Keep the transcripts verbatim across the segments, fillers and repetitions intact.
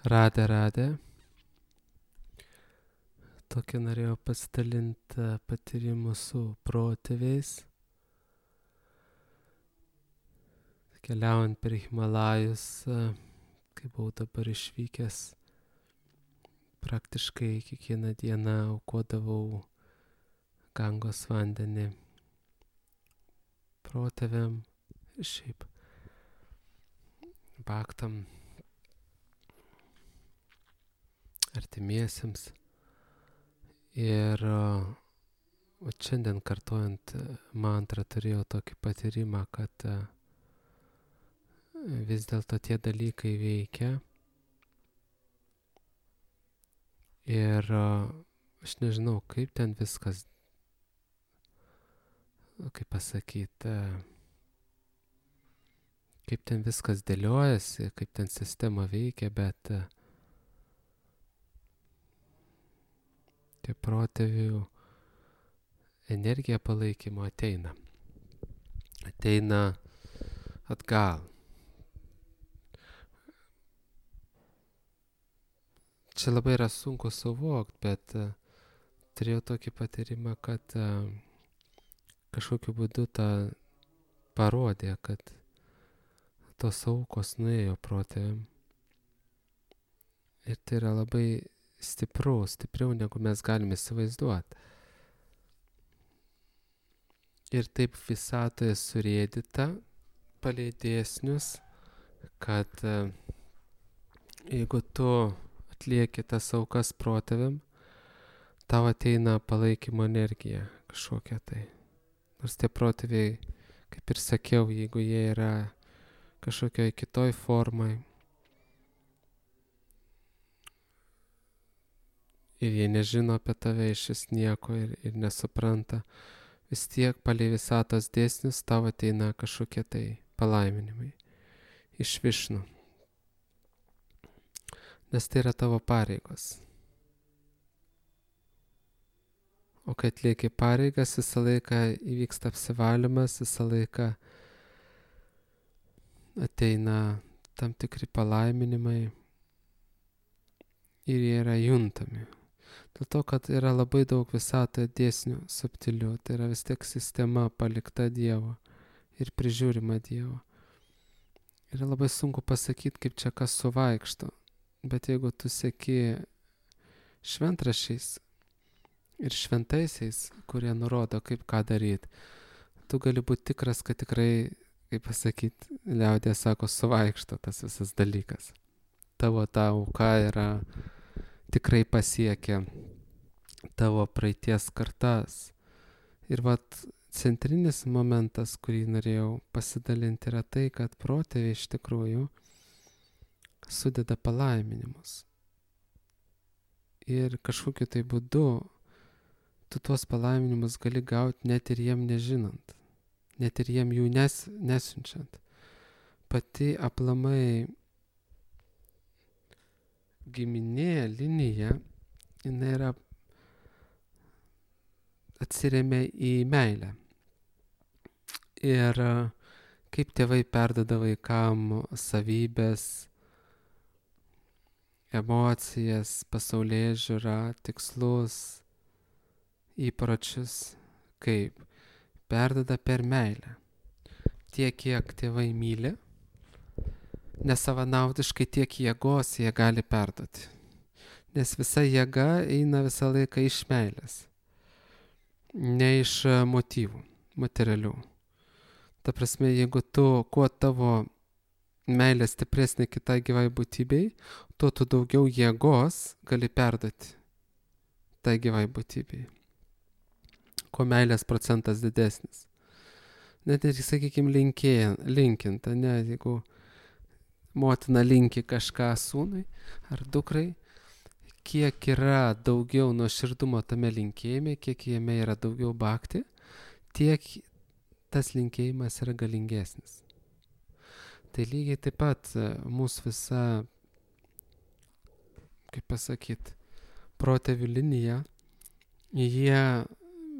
Radė, radė. Tokį norėjau pasidalinti patyrimu su protėviais. Keliaujant per Himalajus, kai buvau dabar išvykęs, praktiškai kiekvieną dieną aukodavau Gangos vandenį protėviam ir šiaip baktam artimiesiems. Ir o šiandien kartojant mantrą turėjau tokį patyrimą, kad vis dėlto tie dalykai veikia. Ir aš nežinau, kaip ten viskas, kaip pasakyti, kaip ten viskas dėliojasi, kaip ten sistema veikia, bet tie protėvių energija palaikymo ateina. Ateina atgal. Čia labai yra sunku suvokti, bet uh, turėjau tokį patyrimą, kad uh, kažkokiu būdu tą parodė, kad tos aukos nuėjo protėviam. Ir tai yra labai stipru, stipriau negu mes galime įsivaizduoti. Ir taip visatoje surėdyta palei dėsnius, kad uh, jeigu tu atlieki tas aukas protėviam, tau ateina palaikymo energija kažkokia tai. Nors tie protėviai, kaip ir sakiau, jeigu jie yra kažkokioj kitoj formai ir jie nežino apie tave iš nieko ir, ir nesupranta, vis tiek palei visatos dėsnius tau ateina kažkokie tai palaiminimai iš Višnu. Nes tai yra tavo pareigos. O kai atlieki pareigas, visą laiką įvyksta apsivalymas, visą laiką ateina tam tikri palaiminimai ir jie yra juntami. Dėl to, kad yra labai daug visatoje dėsnių subtilių, tai yra vis tiek sistema palikta Dievo ir prižiūrima Dievo. Yra labai sunku pasakyti, kaip čia kas suvaikšto. Bet jeigu tu seki šventraščiais ir šventaisiais, kurie nurodo, kaip ką daryti, tu gali būti tikras, kad tikrai, kaip pasakyti, liaudė sako, suvaikšto tas visas dalykas. Tavo ta auka yra tikrai pasiekia tavo praeities kartas. Ir vat centrinis momentas, kurį norėjau pasidalinti, yra tai, kad protėviai iš tikrųjų sudeda palaiminimus. Ir kažkokiu tai būdu tu tuos palaiminimus gali gauti net ir jiem nežinant, net ir jiem jų nes, nesiunčiant. Pati aplamai giminė linija, jinai yra atsiremia į meilę. Ir kaip tėvai perduoda vaikam savybės, emocijas, pasaulėžiūrą, tikslus, įpročius, kaip perduoda per meilę. Tiek, kiek tėvai myli, nesavanaudiškai tiek jėgos jie gali perduoti. Nes visa jėga eina visą laiką iš meilės, ne iš motyvų materialių. Ta prasme, jeigu tu, kuo tavo meilė stipresnė kitai gyvai būtybei, tuo tu daugiau jėgos gali perduoti tai gyvai būtybei. Kuo meilės procentas didesnis. Net ir, sakykime, linkinta, ne, jeigu motina linki kažką sūnui ar dukrai, kiek yra daugiau nuoširdumo tame linkėjime, kiek jame yra daugiau bhakti, tiek tas linkėjimas yra galingesnis. Tai lygiai taip pat mūsų visa, kaip pasakyti, protėvių linija, jie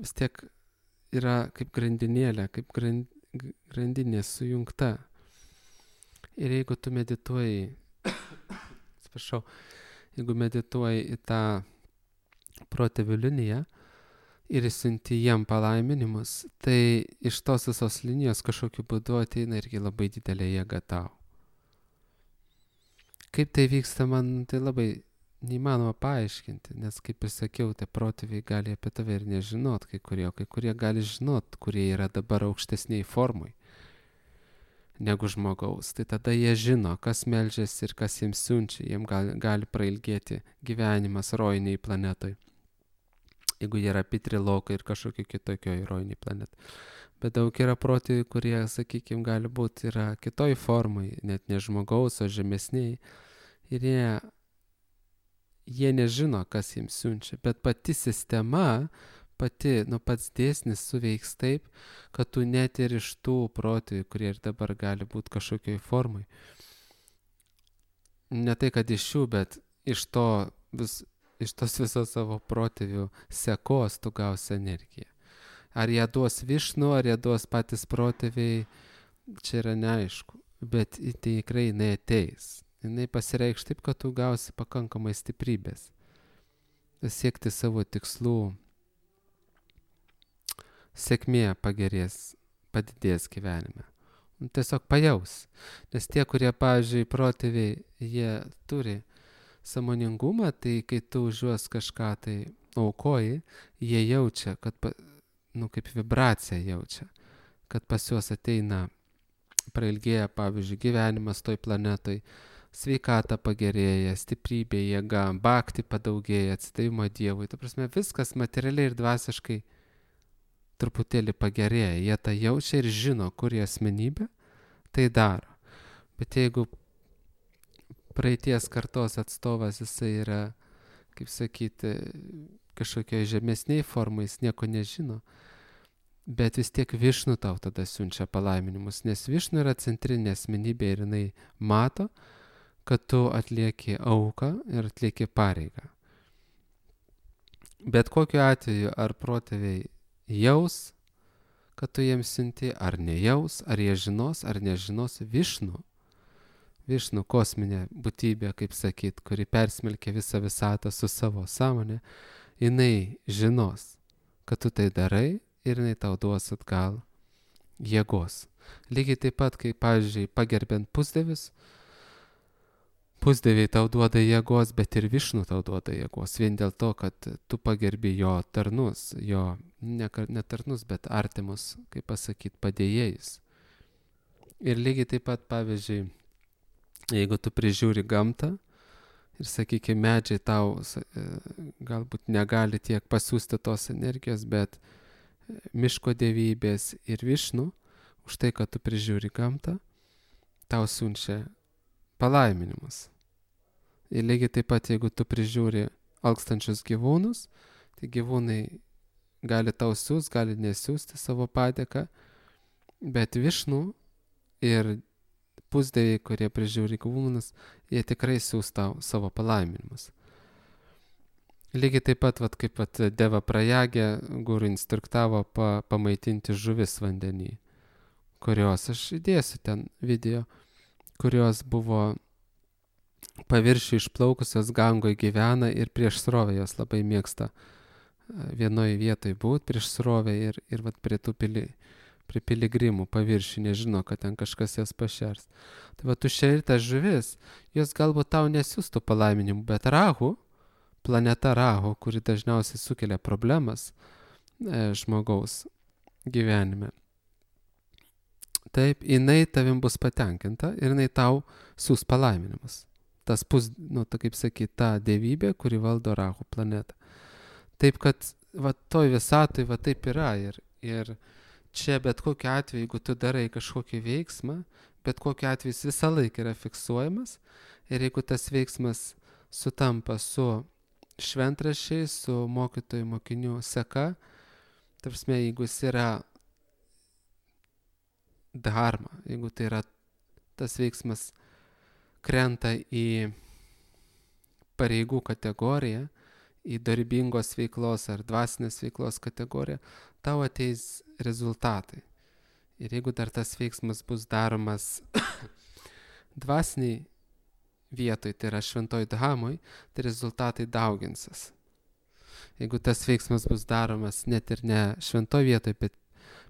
vis tiek yra kaip grandinėlė, kaip grandinė sujungta. Ir jeigu tu medituoji, atsiprašau, jeigu medituoji į tą protėvių liniją ir įsiunti jiem palaiminimus, tai iš tos visos linijos kažkokiu būdu ateina irgi labai didelė jėga tau. Kaip tai vyksta, man tai labai neįmanoma paaiškinti, nes kaip ir sakiau, tie protėviai gali apie tave ir nežinot, kai kurie, kai kurie gali žinot, kurie yra dabar aukštesniai formui negu žmogaus. Tai tada jie žino, kas meldžiasi ir kas jiems siunčia, jiems gali, gali prailgėti gyvenimas rojiniai planetoj, jeigu jie yra pitrilokai ir kažkokio kitokio rojiniai planetai. Bet daug yra protėvių, kurie, sakykime, gali būti yra kitoj formai, net ne žmogaus, o žemesniai. Ir jie, jie nežino, kas jiems siunčia. Bet pati sistema, pati, nu pats dėsnis suveiks taip, kad tu net ir iš tų protėvių, kurie ir dabar gali būti kažkokioj formai, ne tai, kad iš jų, bet iš to vis, iš tos visos savo protėvių sekos tu gausi energiją. Ar ją duos Višnu, ar ją duos patys protėviai, čia yra neaišku. Bet tikrai jinai ateis. Jinai pasireikš taip, kad tu gausi pakankamai stiprybės. Siekti savo tikslų. Sėkmė pagerės, padidės gyvenime. Tiesiog pajaus. Nes tie, kurie, pavyzdžiui, protėviai, jie turi sąmoningumą, tai kai tu už juos kažką tai aukoji, jie jaučia, kad nu, kaip vibracija jaučia, kad pas juos ateina, prailgėja, pavyzdžiui, gyvenimas toj planetoj, sveikata pagerėja, stiprybė, jėga, bhakti padaugėja, atsidavimo Dievui. Ta prasme, viskas materialiai ir dvasiškai truputėlį pagerėja. Jie tą jaučia ir žino, kur jie asmenybė, tai daro. Bet jeigu praeities kartos atstovas, jisai yra, kaip sakyti, kažkokioj žemesniai formai, jis nieko nežino, bet vis tiek Višnu tau tada siunčia palaiminimus, nes Višnu yra centrinė asmenybė ir jinai mato, kad tu atlieki auką ir atlieki pareigą. Bet kokiu atveju, ar protėviai jaus, kad tu jiems siunti, ar nejaus, ar jie žinos, ar nežinos, Višnu, Višnu kosminė būtybė, kaip sakyt, kuri persmelkia visą visatą su savo sąmonė, jinai žinos, kad tu tai darai ir jinai tau duos atgal jėgos. Lygiai taip pat, kaip, pavyzdžiui, pagerbiant pusdievius, pusdieviai tau duoda jėgos, bet ir Višnu tau duoda jėgos. Vien dėl to, kad tu pagerbi jo tarnus, jo ne, ne tarnus, bet artimus, kaip pasakyti, padėjėjus. Ir lygiai taip pat, pavyzdžiui, jeigu tu prižiūri gamtą, ir, sakykime, medžiai tau galbūt negali tiek pasiūsti tos energijos, bet miško dievybės ir Višnu, už tai, kad tu prižiūri gamtą, tau siunčia palaiminimus. Ir lygiai taip pat, jeigu tu prižiūri alkstančius gyvūnus, tai gyvūnai gali tau siūs, gali nesiūsti savo padėką, bet Višnu ir pusdieviai, kurie prižiūri gyvūnus, jie tikrai siūs tau savo palaiminimus. Lygiai taip pat, vat, kaip vat, Deva Prajagė guru instruktavo pa, pamaitinti žuvis vandenį, kurios, aš įdėsiu ten video, kurios buvo paviršių išplaukusios Gangoje gyvena ir prieš srovę jos labai mėgsta vienoje vietoje būti prieš srovę ir, ir vat, prie tų pili, prie piligrimų paviršių, nežino, kad ten kažkas jas pašers. Tai va, tu šeri tas žuvis, jos galbūt tau nesiūstų palaiminimų, bet Rahu, planeta Rahu, kuri dažniausiai sukelia problemas e, žmogaus gyvenime, taip, jinai tavim bus patenkinta ir jinai tau siūs palaiminimus. Tas pus, nu, ta, kaip sakyt, ta dievybė, kuri valdo Rahu planetą. Taip, kad va, toj visatoj va taip yra ir, ir čia bet kokiu atveju, jeigu tu darai kažkokį veiksmą, bet kokiu atveju jis visą laiką yra fiksuojamas ir jeigu tas veiksmas sutampa su šventraščiais, su mokytojų mokinių seka, tarsi, jeigu jis yra dharma, jeigu tai yra tas veiksmas krenta į pareigų kategoriją, į darbingos veiklos ar dvasinės veiklos kategoriją, tau ateis rezultatai. Ir jeigu dar tas veiksmas bus daromas dvasiniai vietoj, tai yra šventoj dhamoj, tai rezultatai dauginsis. Jeigu tas veiksmas bus daromas net ir ne šventoj vietoj, bet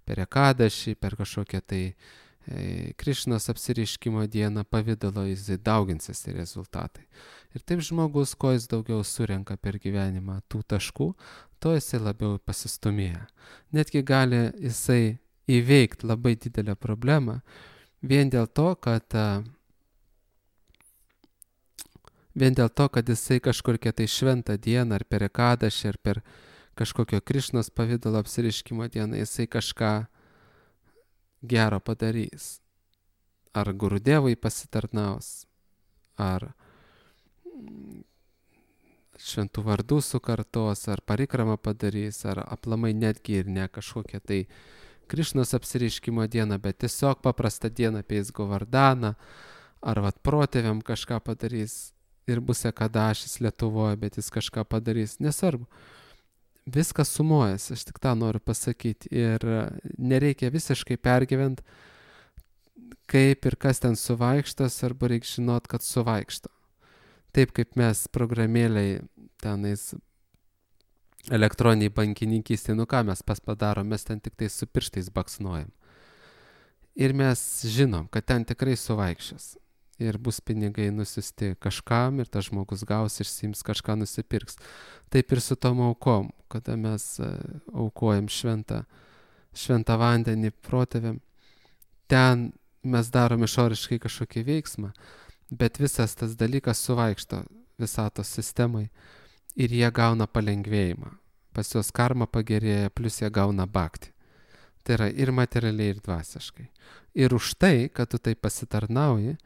per ekadašį, per kažkokią tai e, Krišnos apsireiškimo dieną pavydalo, jis dauginsis tie rezultatai. Ir taip žmogus, kuo jis daugiau surenka per gyvenimą tų taškų, to jisai labiau pasistumėja. Netgi gali jisai įveikti labai didelę problemą vien dėl to, kad vien dėl to, kad jisai kažkokią tai šventą dieną, ar per ekadašį, ar per kažkokio Krišnos pavydalo apsireiškimo dieną, jisai kažką gero padarys. Ar Gurudevui pasitarnaus, ar šventų vardų sukartos, ar parikramą padarys, ar aplamai netgi ir ne kažkokią tai Krišnos apsireiškimo dieną, bet tiesiog paprastą dieną apeis Govardaną, ar vat protėviam kažką padarys ir bus ekadašis Lietuvoje, bet jis kažką padarys, nesvarbu. Viskas sumuojas, aš tik tą noriu pasakyti, ir nereikia visiškai pergyvent, kaip ir kas ten suvaikštas, arba reikia žinot, kad suvaikšto. Taip kaip mes programėliai tenais elektroniniai bankininkystė, nu ką mes pas padarom, mes ten tik tai su pirštais baksnuojam. Ir mes žinom, kad ten tikrai suvaikščios. Ir bus pinigai nusiusti kažkam, ir tas žmogus gaus, išsiims kažką nusipirks. Taip ir su tom aukom, kada mes aukojam šventą, šventą vandenį protėviam, ten mes darom išoriškai kažkokį veiksmą, bet visas tas dalykas suvaikšto visatos sistemai ir jie gauna palengvėjimą. Pas juos karma pagerėja, plus jie gauna bhakti. Tai yra ir materialiai, ir dvasiškai. Ir už tai, kad tu tai pasitarnauji,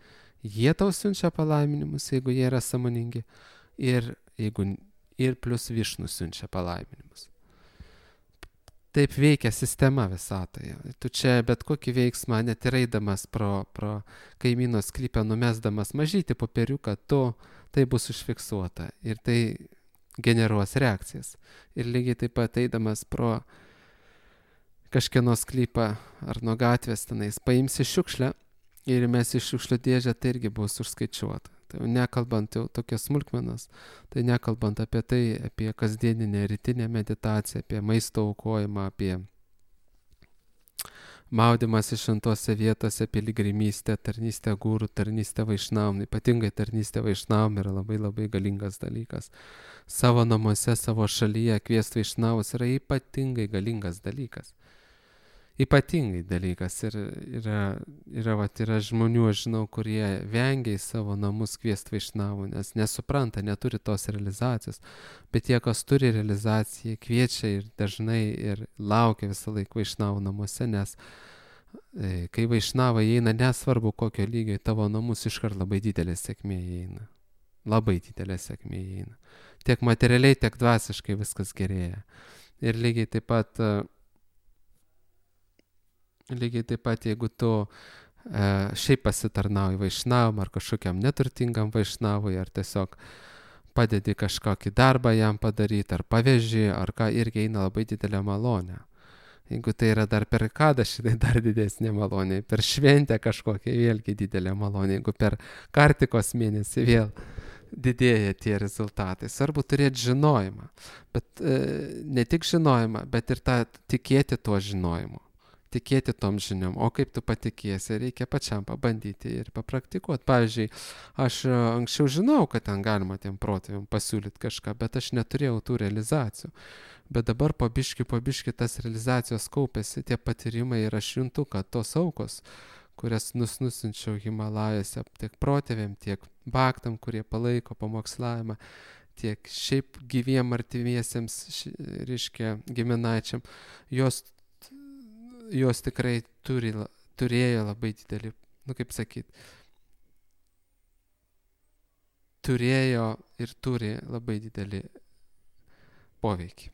jie tau siunčia palaiminimus, jeigu jie yra sąmoningi, ir, jeigu, ir plus Višnu siunčia palaiminimus. Taip veikia sistema visatoje. Tu čia bet kokį veiksmą, net ir eidamas pro, pro kaimyno sklypę, numesdamas mažytį popieriuką, tu, tai bus užfiksuota ir tai generuos reakcijas. Ir lygiai taip pat eidamas pro kažkieno sklypą ar nuo gatvės tenais, paimsi šiukšlę ir mes iš šiukšlių dėžę, tai irgi bus užskaičiuota. Tai nekalbant jau tokias smulkmenas, tai nekalbant apie tai, apie kasdieninę rytinę meditaciją, apie maisto aukojimą, apie maudymąsi šventose vietose, piligrimystę, tarnystę gūrų, tarnystę vaišnavam. Ypatingai tarnystė vaišnavam yra labai labai galingas dalykas. Savo namuose, savo šalyje kviesti vaišnavus yra ypatingai galingas dalykas. Ypatingai dalykas. Ir yra, yra, vat, yra žmonių, aš žinau, kurie vengia į savo namus kviesti vaišnavų, nes nesupranta, neturi tos realizacijos. Bet tie, kas turi realizaciją, kviečia ir dažnai ir laukia visą laiką vaišnavų namuose, nes e, kai vaišnavai įeina, nesvarbu kokio lygio į tavo namus, iškart labai didelė sėkmė įeina. Labai didelė sėkmė įeina. Tiek materialiai, tiek dvasiškai viskas gerėja. Ir lygiai taip pat Lygiai taip pat, jeigu tu e, šiaip pasitarnauji vaišnavam ar kažkokiam neturtingam vaišnavui, ar tiesiog padedi kažkokį darbą jam padaryti, ar paveži, ar ką, irgi eina labai didelė malonė. Jeigu tai yra dar per ekadašį, tai dar didesnė malonė. Per šventę kažkokią vėlgi didelė malonė. Jeigu per kartikos mėnesį vėl didėja tie rezultatai. Svarbu turėti žinojimą. Bet e, ne tik žinojimą, bet ir tą tikėti tuo žinojimu. Tikėti tom žiniom, o kaip tu patikėsi, reikia pačiam pabandyti ir papraktikuoti. Pavyzdžiui, aš anksčiau žinau, kad ten galima tiem protėviam pasiūlyti kažką, bet aš neturėjau tų realizacijų. Bet dabar po biškį, po biškį tas realizacijos kaupėsi, tie patyrimai ir aš juntu, kad tos aukos, kurias nus nusinčiau Himalajose, tiek protėviam, tiek bhaktam, kurie palaiko pamokslavimą, tiek šiaip gyviem artimiesiems, reiškia, giminaičiam, jos jos tikrai turi, turėjo labai didelį, nu kaip sakyt, turėjo ir turi labai didelį poveikį.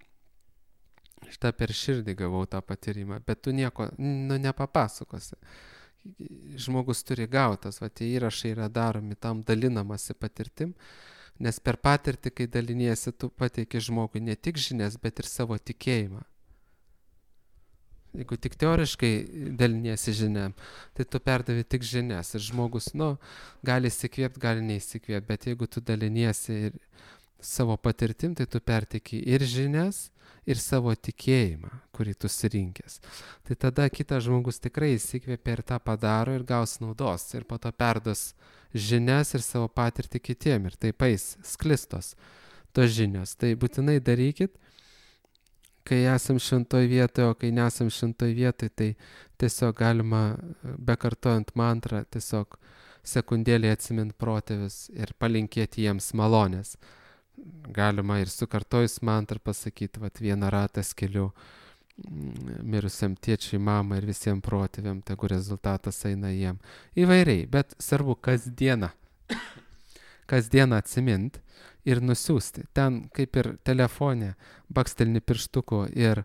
Šitą per širdį gavau tą patyrimą, bet tu nieko, nu, nepapasakosi. Žmogus turi gautas, va tie įrašai yra daromi, tam dalinamasi patirtim, nes per patirtį, kai daliniesi, tu pateiki žmogui ne tik žinias, bet ir savo tikėjimą. Jeigu tik teoriškai daliniesi žiniam, tai tu perdavi tik žinias ir žmogus, nu, gali įsikvėpti, gali neįsikvėpti, bet jeigu tu daliniesi ir savo patirtim, tai tu pertiki ir žinias, ir savo tikėjimą, kurį tu surinkęs. Tai tada kitas žmogus tikrai įsikvėpia ir tą padaro ir gaus naudos ir po to perdos žinias ir savo patirtį kitiem ir taip eis sklistos tos žinios. Tai būtinai darykit, kai esam šventoj vietoje, o kai nesam šventoj vietoje, tai tiesiog galima, bekartojant mantrą, tiesiog sekundėlį atsimint protėvius ir palinkėti jiems malonės. Galima ir sukartojus mantrą pasakyti, vat vieną ratą skeliu mirusiam tėčiui, mamai ir visiems protėviam, tegu rezultatas eina jiem. Įvairiai, bet svarbu kasdieną, kasdieną atsimint ir nusiųsti. Ten kaip ir telefone bakstelni pirštuku ir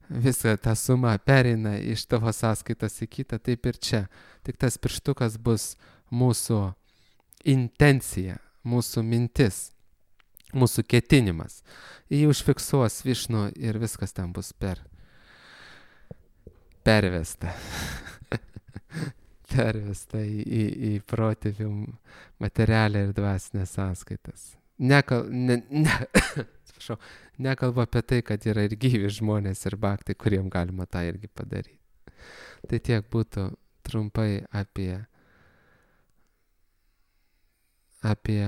visa ta suma pereina iš tavo sąskaitos į kitą, taip ir čia. Tik tas pirštukas bus mūsų intencija, mūsų mintis, mūsų ketinimas. Jį užfiksuos Višnu ir viskas ten bus per pervesta. pervesta į, į, į protėvių materialę ir dvasinės sąskaitas. Nekal, ne, ne, atsiprašau, nekalbu apie tai, kad yra ir gyvi žmonės ir baktai, kuriem galima tą irgi padaryti. Tai tiek būtų trumpai apie, apie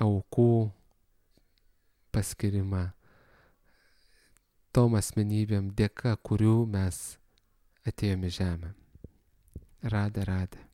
aukų paskirimą tom asmenybėm, dėka kurių mes atėjome į žemę. Radė, radė.